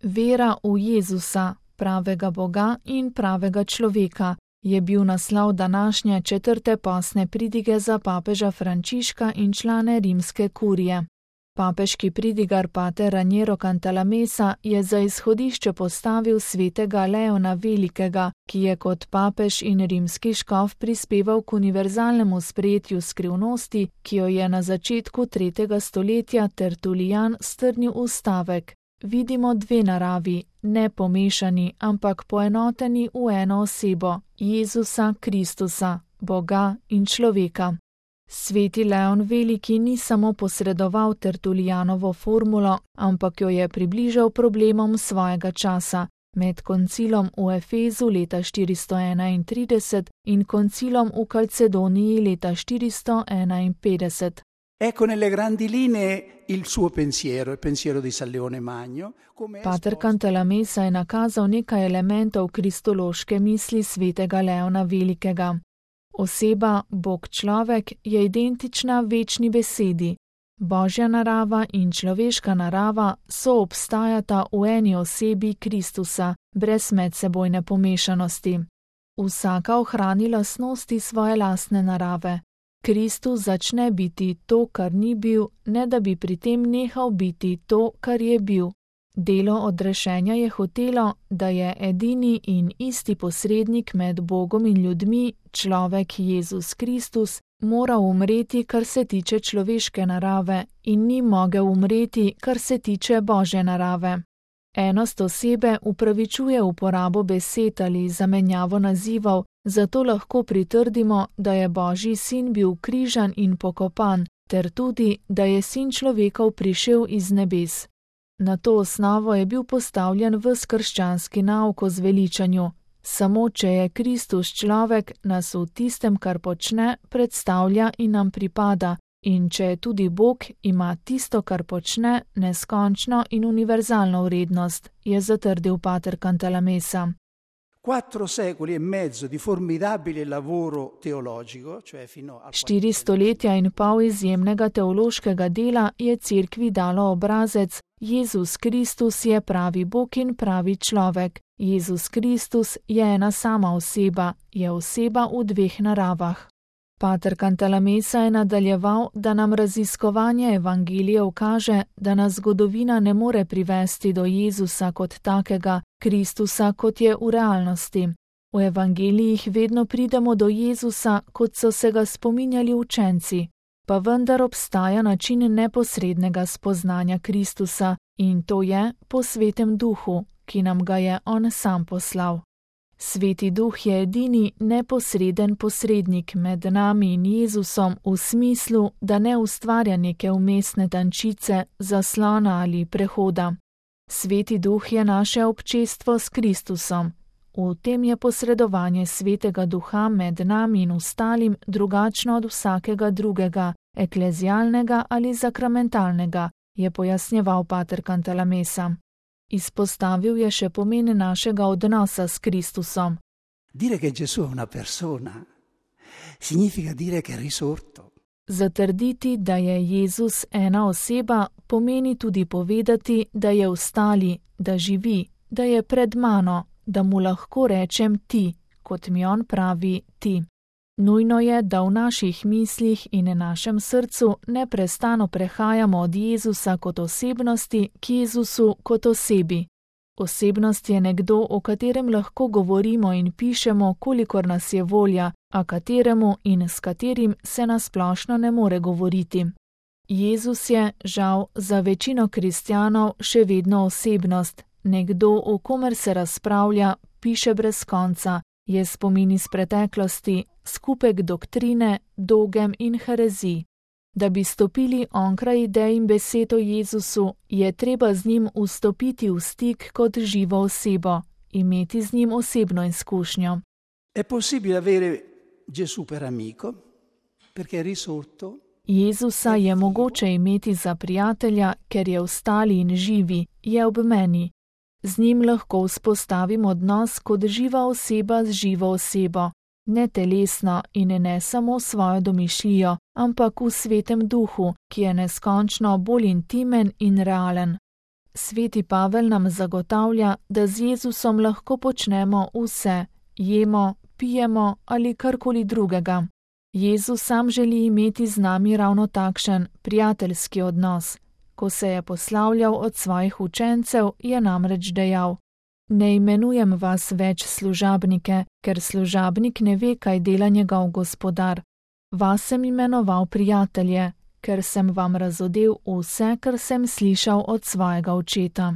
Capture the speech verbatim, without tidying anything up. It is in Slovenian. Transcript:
Vera v Jezusa, pravega Boga in pravega človeka, je bil naslov današnje četrte postne pridige za papeža Frančiška in člane rimske kurije. Papeški pridigar pater Raniero Cantalamessa je za izhodišče postavil svetega Leona Velikega, ki je kot papež in rimski škof prispeval k univerzalnemu sprejetju skrivnosti, ki jo je na začetku tretjega stoletja Tertulijan strnil v stavek: vidimo dve naravi, ne pomešani, ampak poenoteni v eno osebo, Jezusa Kristusa, Boga in človeka. Sveti Leon Veliki ni samo posredoval Tertulijanovo formulo, ampak jo je približal problemom svojega časa, med koncilom v Efezu leta štiristo enaintrideset in koncilom v Kalcedoniji leta štiristo enainpetdeset. Ecco nelle grandi linee il suo pensiero, il pensiero di San Leone Magno. Pater Cantalamessa je nakazal nekaj elementov kristološke misli svetega Leona Velikega. Oseba, Bog človek, je identična večni besedi. Božja narava in človeška narava soobstajata v eni osebi Kristusa, brez medsebojne pomešanosti. Vsaka ohrani lastnosti svoje lastne narave. Kristus začne biti to, kar ni bil, ne da bi pri tem nehal biti to, kar je bil. Delo odrešenja je hotelo, da je edini in isti posrednik med Bogom in ljudmi, človek Jezus Kristus, moral umreti, kar se tiče človeške narave, in ni mogel umreti, kar se tiče Božje narave. Enost osebe upravičuje uporabo besed ali zamenjavo nazivov, zato lahko pritrdimo, da je Božji sin bil križan in pokopan, ter tudi, da je sin človekov prišel iz nebes. Na to osnovo je bil postavljen ves krščanski nauk o zveličanju. Samo če je Kristus človek, nas v tistem, kar počne, predstavlja in nam pripada, in če je tudi Bog, ima tisto, kar počne, neskončno in univerzalno vrednost, je zatrdil pater Cantalamessa. Quattro secoli e mezzo di formidabile lavoro teologico, cioè fino al Štiri stoletja in pol izjemnega teološkega dela je cerkvi dalo obrazec: Jezus Kristus je pravi Bog in pravi človek. Jezus Kristus je ena sama oseba, je oseba v dveh naravah. Pater Cantalamessa je nadaljeval, da nam raziskovanje evangelijev kaže, da nas zgodovina ne more privesti do Jezusa kot takega, Kristusa kot je v realnosti. V evangelijih vedno pridemo do Jezusa, kot so se ga spominjali učenci, pa vendar obstaja način neposrednega spoznanja Kristusa, in to je po svetem duhu, ki nam ga je on sam poslal. Sveti duh je edini neposreden posrednik med nami in Jezusom v smislu, da ne ustvarja neke vmesne tančice, zaslona ali prehoda. Sveti duh je naše občestvo s Kristusom. V tem je posredovanje svetega duha med nami in ostalim drugačno od vsakega drugega, eklezialnega ali sakramentalnega, je pojasnjeval pater Cantalamessa. Izpostavil je še pomen našega odnosa s Kristusom. Dire che Gesù è una persona significa dire che è risorto. Zatrditi, da je Jezus ena oseba, pomeni tudi povedati, da je vstali, da živi, da je pred mano, da mu lahko rečem ti, kot mi on pravi ti. Nujno je, da v naših mislih in našem srcu neprestano prehajamo od Jezusa kot osebnosti k Jezusu kot osebi. Osebnost je nekdo, o katerem lahko govorimo in pišemo, kolikor nas je volja, a kateremu in s katerim se nasplošno ne more govoriti. Jezus je, žal, za večino kristjanov še vedno osebnost, nekdo, o komer se razpravlja, piše brez konca, je spomin iz preteklosti, skupek doktrine, dogem in herezij. Da bi stopili onkraj idej in besed o Jezusu, je treba z njim vstopiti v stik kot živo osebo, imeti z njim osebno izkušnjo. È possibile avere Gesù per amico, perché è risorto. Jezusa je mogoče imeti za prijatelja, ker je vstali in živi, je ob meni. Z njim lahko vzpostavim odnos kot živa oseba z živo osebo, ne telesno in ne samo svojo domišljijo, ampak v svetem duhu, ki je neskončno bolj intimen in realen. Sveti Pavel nam zagotavlja, da z Jezusom lahko počnemo vse, jemo, pijemo ali karkoli drugega. Jezus sam želi imeti z nami ravno takšen prijateljski odnos. Ko se je poslavljal od svojih učencev, je namreč dejal: Ne imenujem vas več služabnike, ker služabnik ne ve, kaj dela njegov gospodar. Vas sem imenoval prijatelje, ker sem vam razodel vse, kar sem slišal od svojega očeta.